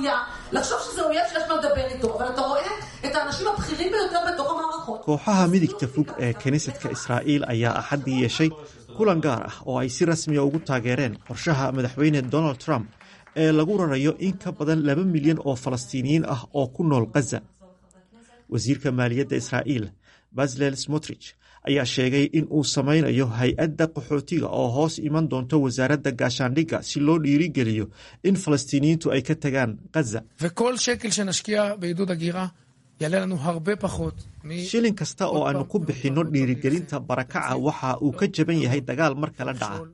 הזויה לחשוב שזה אויב שיש מה לדבר איתו, אבל אתה רואה את האנשים הבכירים ביותר בתוך המערכות. Kooxaha midigta fog ee kiniisadka Israa'iil ayaa Axaddii yeeshay kulan gaar ah oo ay si rasmiya ugu taageereen qorshaha madaxweyne Donald Trump ee lagu rarayo in ka badan 2 milyan oo Falastiiniyiin ah oo ku nool Khaza. Wasiirka maaliyadda Israa'iil Bezalel Smotrich ayaa sheegay in uu sameynayo hay-adda qaxootiga oo hoos iman doonto wasaaradda gaashaandhigga si loo dhiirigeliyo in Falastiiniyiintu ay ka tagaan Khaza. וכל שקל שנשקיע בעידוד הגירה יעלה לנו הרבה פחות. Shilin kasta oo aanu ku bixinno dhiirigelinta barakaca waxa uu ka jaban yahay dagaal mar kala dhaca.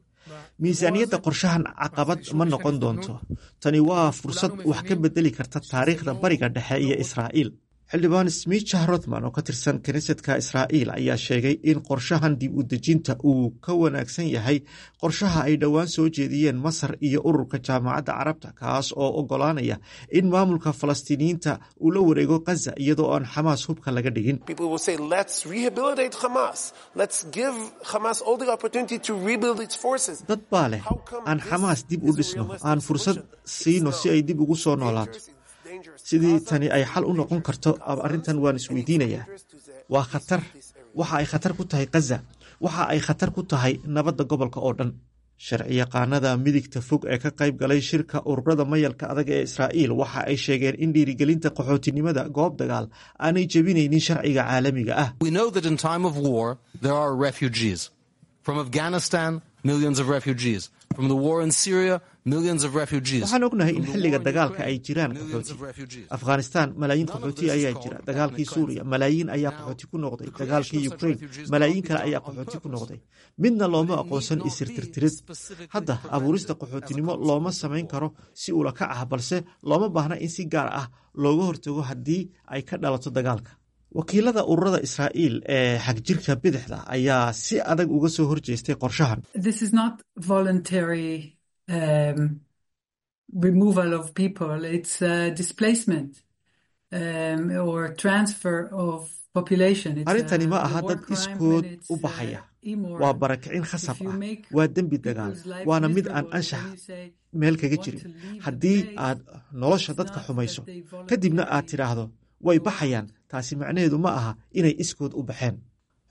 Miisaaniyadda qorshahan caqabad ma noqon doonto. Tani waa fursad wax ka bedeli karta taariikhda Bariga Dhexe iyo Israa'iil. Xildhibaan Smicha Rothman oo ka tirsan kiniisadka Israa'iil ayaa sheegay in qorshahan dib u dejinta uu ka wanaagsan yahay qorshaha ay dhowaan soo jeediyeen Masar iyo ururka Jaamacadda Carabta, kaas oo ogolaanaya in maamulka Falastiiniyiinta uu la wareego Khaza iyadoo aan Xamaas hubka laga dhigin. People will say, "Let's rehabilitate Hamas. Let's give Hamas all the opportunity to rebuild its forces." Dad baa leh, "Aan Xamaas dib u dhisno, aan fursad siino si ay dib ugu soo noolaato." Sidii tani ay xal u noqon karto arrintan waan isweydiinayaa. Waa khatar. Waxa ay khatar ku tahay Khaza. Waxa ay khatar ku tahay nabadda gobolka oo dhan. Sharciyaqaanada midigta fog ee ka qayb galay shirka ururada mayalka adag ee Israa'iil waxa ay sheegeen in dhiirigelinta qaxootinimada goob dagaal aanay jebinaynin sharciga caalamiga ah. We know that in time of war, there are refugees. From Afghanistan, millions of refugees. From the war in Syria, millions of refugees. Waxaan ognahay in xilliga dagaalka ay jiraan qaxooti. Afghanistan malaayiin qaxooti ayaa jira. Dagaalkii Suuriya malaayiin ayaa qaxooti ku noqday. Dagaalkii Ukraine malaayiin kale ayaa qaxooti ku noqday. Midna looma aqoonsan isirtirtirid. Hadda abuurista qaxootinimo looma samayn karo si ula kac ah, balse looma baahna in si gaar ah looga hortago haddii ay ka dhalato dagaalka. Wakiilada ururada Israa'iil ee xagjirka bidixda ayaa si adag uga soo horjeestay qorshahan. This is not voluntary removal of people. It's displacement or transfer of population. Arrintani ma aha dad iskood u baxaya. Waa barakicin khasab ah. Waa dembi dagaal, waana mid aan anshax meel kaga jirin. Haddii aad nolosha dadka xumayso, kadibna aad tidhaahdo way baxayaan, taasi macnaheedu ma aha inay iskood u baxeen.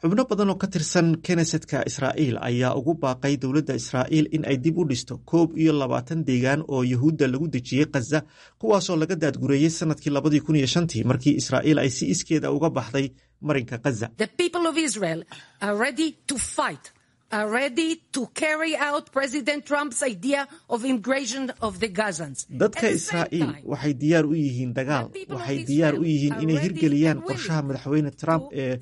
Xubno badan oo ka tirsan knesetka Israa'iil ayaa ugu baaqay dowladda Israa'iil in ay dib u dhisto 21 deegaan oo Yahuudda lagu dejiyey Khaza, kuwaasoo laga daadgureeyey sanadkii 2005-tii, markii Israa'iil ay si iskeeda uga baxday marinka Khaza. The people of Israel are ready to fight, are ready to carry out President Trump's idea of immigration of the Gazans. Dadka Israa'iil waxay diyaar u yihiin dagaal. Waxay diyaar u yihiin inay hirgeliyaan qorshaha madaxweyne Trump ee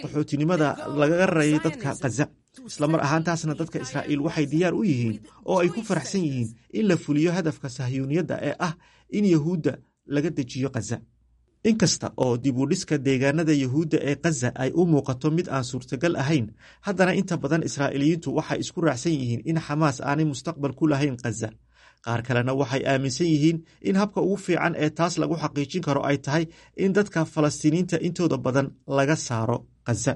qaxootinimada lagaga rarayay dadka Khaza. Islamar ahaantaasna dadka Israa'iil waxay diyaar u yihiin oo ay ku faraxsan yihiin in la fuliyo hadafka Sahyuuniyadda ee ah in Yahuudda laga dejiyo Khaza. Inkasta oo dib u dhiska deegaanada Yahuudda ee Khaza ay u muuqato mid aan suurtagal ahayn, haddana inta badan Israa'iiliyiintu waxay isku raacsan yihiin in Xamaas aanay mustaqbal ku lahayn Khaza. Qaar kalena waxay aaminsan yihiin in habka ugu fiican ee taas lagu xaqiijin karo ay tahay in dadka Falastiiniinta intooda badan laga saaro Khaza.